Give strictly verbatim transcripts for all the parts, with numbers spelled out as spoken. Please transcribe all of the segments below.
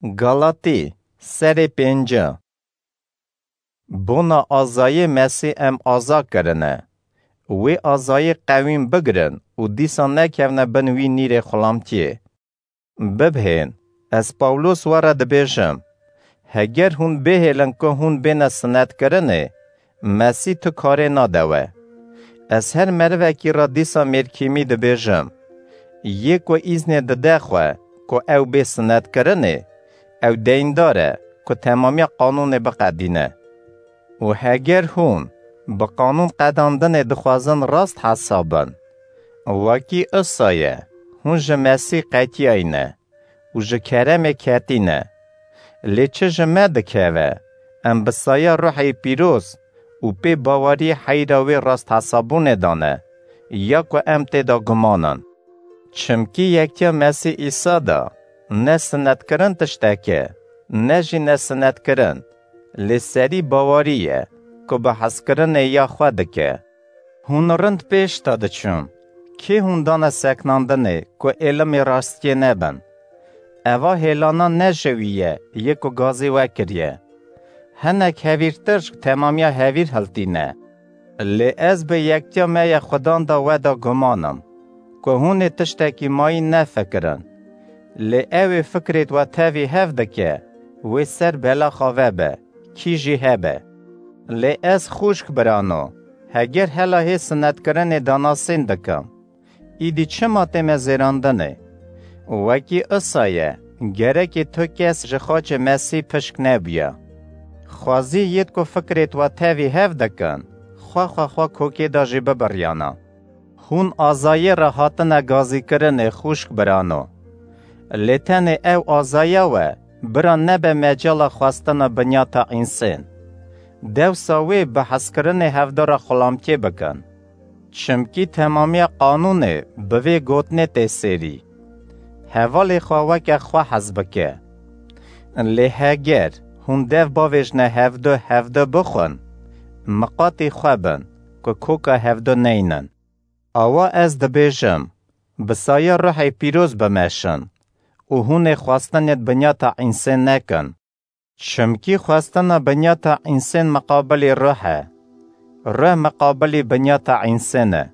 Galatî, serê pênca. Bona azayê Mesîh em aza kirine. Wê azayê qewîn bigirin û dîsa nekevne bin wî nîrê xulamtiyê. Bibhên, ez Pawlos we re dibêjim, heger hûn bihêlin ku hûn bêne sinetkirinê, Mesîh tu karê nade we. Ez her merivekî re dîsa mêrkîmî dibêjim, yê ku îznê dide xwe ku ew bê sinetkirinê, ew deyndar e ku temamiya qanûnê biqedîne. Û heger hûn bi qanûn qedandinê dixwazin rast hesab bin, wekî isa ye, hûn ji Mesîh qetiyayî ne û ji keremê ketî ne. Lê çi ji me dikeve, em bi saya Ruhê Pîroz û pê baweriyê heyra wê rasthesabûnê de ne, ya ku em tê de guman in. Çimkî yektiya Mesîh Îsa de ne sinetkirin tiştek e, ne jî nesinetkirin, lê serî bawerî ye ku bi hezkirinê ya xwe dike. Hûn rind pêş de diçin. Kê hûn dane seknandinê ku êlimê rastiyê nebin? Eva hêlana ne ji wî ye, yê ku gazî we kiriye. Hinek hevîrtir ji temamiya hevîr hiltîne. Lê ez bi yektiya me ya Xudan de we de guman im, ku hûn ê tiştekî mayî nefikirin. Lê ew ê fikrêt we tevî hev dike, wê ser bela xwe vebe, kî jî hebe. Lê ez xûşk birano, heger hela hê sinetkirinê danasîn dikim, îdî çima tê me zêrandinê? Wekî isa ye, gerekê tu kes ji xaçê Mesîh pişk nebûya. Xwezî yêt ku fikrêt we tevî hev dikin, xwe xwe xwe kokê de jî bibiriyana. Hûn azayê re hatine gazîkirinê xûşk birano. Lê tenê ew azaya we bira nebe mecala xwestina binyata însên. Dewsa wê bi hezkirinê hevdu re xulamtiyê bikin. Çimkî temamiya qanûnê bi vê gotinê tê sêrî, hevalê xwe weke xwe hez bike. Lê heger hûn dev bavêjne hevdu hevdu bixwin, miqatî xwe bin ku koka hevdu neynin. Awa ez dibêjim, bi saya Ruhê Pîroz bimeşin û hûn ê xwestinêt binyata însên nekin. Çimkî xwestina binyata însên miqabilî ruh e, ruh miqabilî binyata însên e.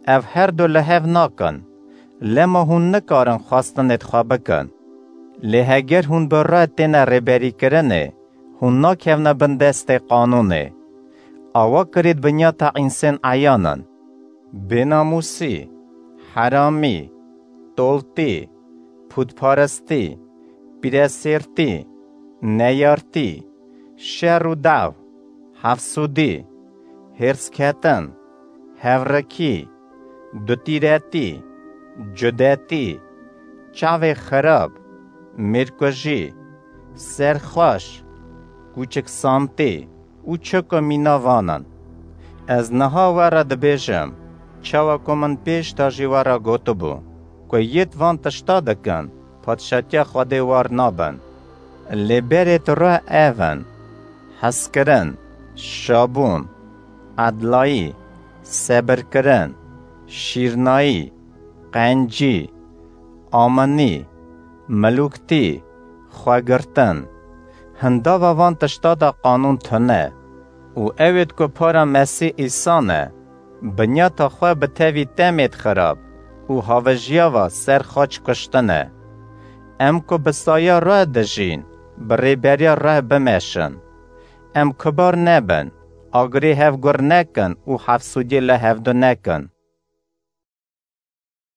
Ev her du li hev nakin, lema hûn nikarin xwestinêt xwe bikin. Lê heger hûn bi ruh têne rêberîkirinê, hûn nakevne bin destê qanûnê. Awa kirêt binyata însên eyan in: bênamûsî, heramî, toltî, pûtparistî, pîresêrtî, neyartî, şer û daw, hefsûdî, hêrsketin, hevrikî, dutîretî, cudetî, çavê xirab, mêrkujî, serxweş, kûçiksantî û çi ku mîna van in. Ez niha we re dibêjim, çawa ku min pêş de jî we re gotibû, ku yêt van tişta dikin, padşatiya Xwedê war nabin. Lê berêt ruh ev in: hezkirin, şabûn, edlayî, sebirkirin, şîrnayî, qencî, aminî, milûktî, xwegirtin. Hindava van tişta de qanûn tune û ewêt ku para Mesîh Îsa ne, binyata xwe bi tevî temêt xirab û havijiya va ser xaç kuştin e. Em ku bi saya ruh dijîn, bi rêberiya ruh bimeşin. Em kubar nebin, agirê hev gur nekin û hefsûdiyê li hevdu nekin.